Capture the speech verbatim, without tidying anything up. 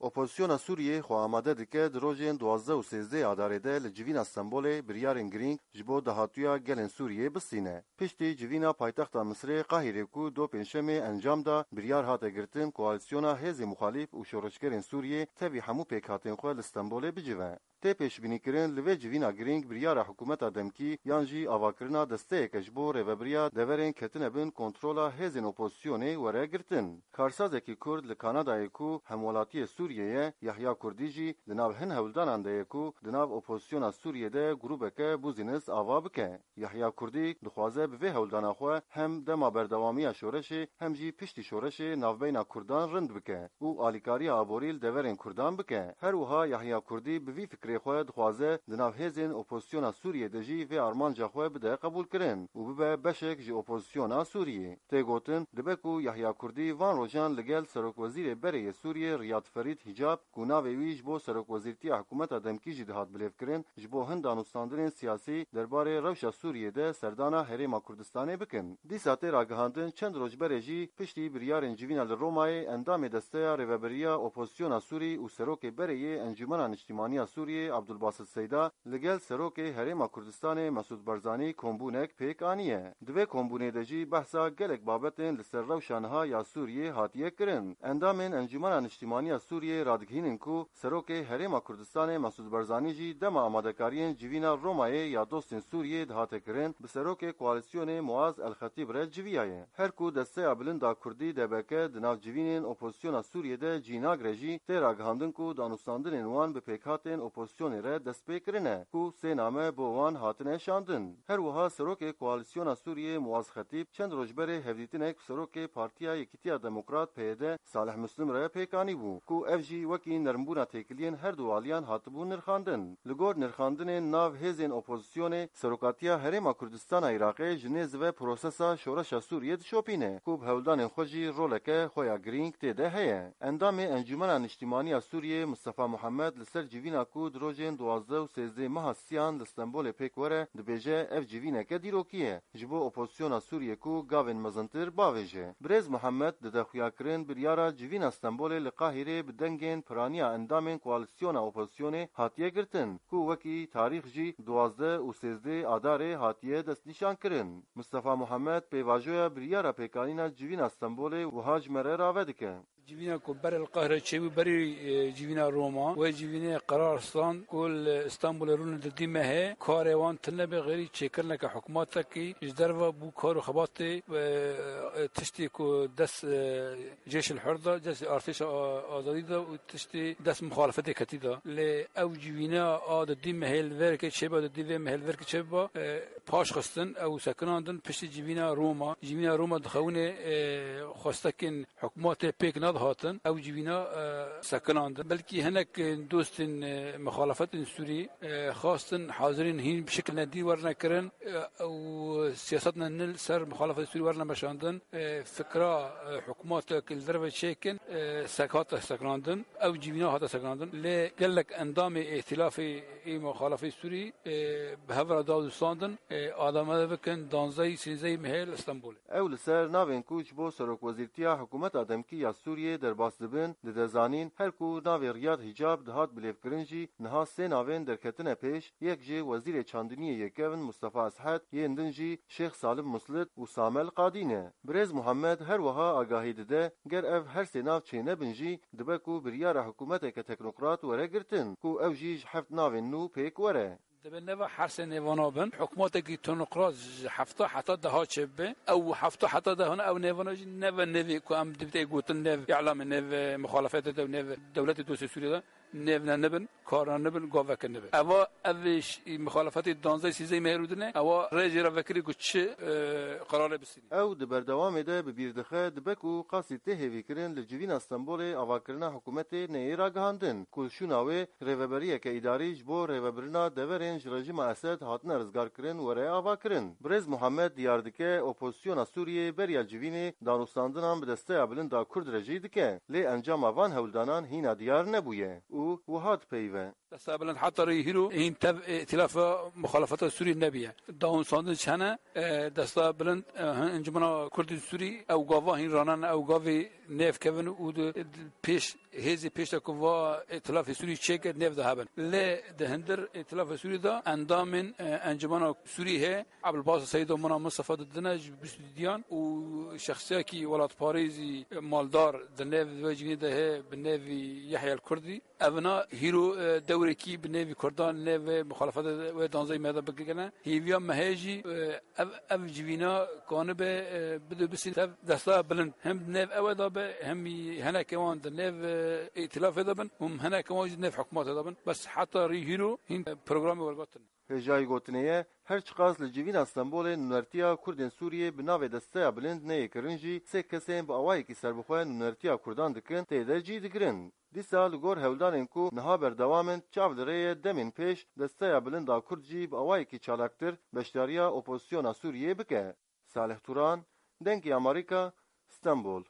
Opozisyona Sûriyê xwe amade dike di rojên duwazdeh û sêzdeh Adarê de li civîna Stenbolê biryarên girîng ji bo dahatûya gelên Sûriyê bistîne. Piştî civîna paytexta Misirê Qahîrê ku do pêncşemê encam da, biryar hate girtin koalîsyona hêzên muxalîf û şoreşgerên Sûriyê tevî hemû pêkhatên xwe li Stenbolê bicive. Tê pêşbînîkirin li vê civîna girîng biryara hikûmeta demkî yan jî avakirina desteyeke ji bo rêvebiriya deverên ketine bin kontrola hêzên opozisyonê were girtin. Karsazekî Kurd li Kanadayê ku hemwelatiyê Sûriyê ye, Yahya Kurdî jî di nav hin hewldanan de ye ku di nav opozisyona Sûriyê de grûbeke bûzînis ava bike. Yahya Kurdî dixwaze bi vê hewldana xwe hem dema berdewamiya şoreşê hem jî piştî şoreşê navbeyna Kurdan rind bike û alîkariya aborî li deverên Kurdan bike. Her wiha Yahya Kurdî bi vî fikrê xwe dixwaze di nav hêzên opozisyona Sûriyê de jî vê armanca xwe bide qebûlkirin û bibe beşek ji opozisyona Sûriyê. Tê gotin, dibe ku Yahya Kurdî van rojan li gel serokwezîrê berê yê Sûriyê Riyad Ferîd Hicab, ku navê wî ji bo serokwezîrtiya hikûmeta demkî jî dihat bilêvkirin, ji bo hin danûstandinên siyasî derbarê rewşa Sûriyê de serdana Herêma Kurdistanê bikin. Dîsa tê ragihandin, çend roj berê jî piştî biryarên civîna li Romayê endamê Desteya Rêveberiya Opozisyona Sûrî û serokê berê yê Encûmena Niştîmaniya Sûriyê Abdulbasit Seyda li gel serokê Herêma Kurdistanê Mesûd Barzanî kombûnek pêk aniye. Di vê kombûnê de jî behsa gelek babetên li ser rewşa niha ya Sûriyê hatiye kirin. Endamên Encûmena Niştîmaniya Sûriyê radigihînin ku serokê Herêma Kurdistanê Mesûd Barzanî jî dema amadekariyên civîna Romayê ya dostên Sûriyê dihate kirin, bi serokê koalîsyonê Muaz El Xetîb re civiyaye. Her ku Desteya Bilind a Kurdî, D B K, di nav civînên opozisyona Sûriyê de cî nagre jî, tê ragihandin ku danûstandinên wan bi pêkhatên opozisyonê re dest pê kirine, ku sê name bo wan hatine şandin. Her wiha serokê koalîsyona Sûriyê Muaz Xetîb çend roj berê hevdîtinek bi serokê Partiya Yekîtiya Demokrat, P Y D, Salih Muslim re pêk anîbû, ku ev jî wekî nermbûna têkiliyên her du aliyan hatibû nirxandin. Li gor nirxandinên nav hêzên opozisyonê, serokatiya Herêma Kurdistana Iraqê ji nêz ve prosesa şoreşa Sûriyê dişopîne, ku bi hewldanên xwe jî roleke xwe ya girîng tê de heye. Endamê Encûmena Niştîmaniya Sûriyê Mistefa Muhammed li ser civîna ku di rojên duwazdeh û sêzdeh meha siyan li Stenbolê pêk were, dibêje ev civîneke dîrokî ye ji bo opozisyona Sûriyê ku gavên mezintir bavêje. Birêz Muhammed dide xuyakirin biryara civîna Stenbolê li Qahîrê bi dengên piraniya endamên koalîsyona opozisyonê hatiye girtin, ku wekî tarîx jî duwazdeh û sêzdeh Adarê hatiye destnîşankirin. Mistefa Muhammed pêvajoya biryara pêkanîna civîna Stenbolê wiha ji me re rave dike. Civîna ku berê li Qahire çêbû berî, e, civîna Roma, wê civînê qerar stand ku li Stenbolê rûne di dî mehê karê wan tune be xêrî çêkirineke hikûmatekî ji derve bû kar û xebatê, e, e, tiştê ku dest, e, Cêşil Hur de, destê artêşa a-, azadî de û tiştê dest muxalefetê ketî de. Lê ew civîna a di dî mehê li verkê çêbe, di dî vê mehê li verkê çêbe, e, paş xistin, ew sekinandin piştî civîna Roma. Civîna Roma dixewinê, e, xwestekên hikûmatê pêk nedihatin, ew civîna, e, sekinandin. Belkî hinek, e, dostên, e, muxalefetên Sûrî, e, xwestin hazirîn hîn bi şikilne dî werine kirin, e, û siyasetne nil ser muxalefetê Sûrî werine meşandin. E, fikra, e, hikûmatek li derve çêkin, e, sek hate sekinandin. Ew civîna hate sekinandin. Lê gelek endamê îtîlafê ê muxalefê Sûrî, e, bi hev re dadûstandin, e, adamade bikin danzdehî sîzdehî mehê li Stenbolê. Ew li ser navên ku ji bo serokwezîrtiya hikûmeta demkî ya Sûriyê derbas dibin, dide zanîn, her ku navê Riyad Hicab dihat bilêvkirin jî niha sê navên derketine pêş, yek jê wezîrê çandiniyê yê kevn Mustafa Eshed, yên din jî Şêx Salim Muslit û Samel Qadî ne. Birêz Muhammed her wiha agahî dide, ger ev her sê nav çênebin jî, dibe ku biryara hikûmeteke teknokrat were girtin, ku ew jî ji heft navên nû pêk were. Dibê neva her sê nêvana bin, hikûmetekî teknokrat ji hefta heta deha çêbibe. Ew hefta heta dehana ew nêvana jî neve nêvê ku em dibitê gotin nêv îlamê, nêv, e, muxalefetê de, nêv dewletê dostê Sûriyê de, nêv ne nibin, karna nibin, gaveke nibin. Eva, ev ş-, muxalefetê danzdeh sîzdeh mehê rûdine, ewa rê jê re vekirî ku çi, e, qerarê bistînî. Ew di berdewamê de bi bîr dixe, dibe ku qasî tê hêvîkirin li civîna Stenbolê avakirina hikûmetê neyê ragihandin, ku li şûna wê rêveberiyeke îdarî ji bo rêvebirina deverên ji rejîma Esed hatine rizgarkirin were avakirin. Birêz Muhammed diyar dike, opozisyona Sûriyê beriya civînê danûstandinan bi desteya bilind a Kurd re jî dike, lê encama van hewldanan hîna diyar nebûye. û wiha dipeyive. Desta Bilind heta rê hîro hîn tev îtilafa muxalefeta Sûrî nebiye. Dawin sandin çi hene, e, Desta Bilind, e, hin Encumena Kurdên Sûrî ew gava hîn ranane, ew gavê nêv kevin û di, di pêş, hêzê pêş de ku va îtilafê Sûrî çêke nêv de hebin. Lê di hindir îtilafê Sûrî de endamên, e, Encumena Sûrî hê, Ebilbas Seydo, Muna Mistefa didine ji bîst û diyan û şexsiyekî welatparêzî maldar di nêv vê civînê de hê bi nêvî Yehya el Kurdî. Evina hîro, e, dewrekî bi nêvî Kurdan, nêvê muxalefetê wê danzeyê me de bigirine. Hêviya me heye jî, e, ev, ev civîna kanibe, e, bide bisîn tev Destaya Bilind. Hem nêv ew e de be, hem heneke wan di nêv, e, îtilafê de bin, û hem heneke wan jî nêv hikûmetê de bin. Bes heta rî hîro hîn, e, programê wergotin. Hêjayî gotinê ye, her çiqas li civîna Stenbolê nûnertiya Kurdên Sûriyê bi navê Desteya Bilind neyê kirin jî, sê kesên bi awayekî serbixwe nûnertiya Kurdan dikin, tê de cî digirin. Dîsa li gor hewldanên ku niha berdewam in, çav li rê ye demên pêş Desteya Bilind a Kurd jî bi awayekî çalaktir beşdariya opozisyona Sûriyê bike. Salih Turan, Dengê Amerîka, Stenbol.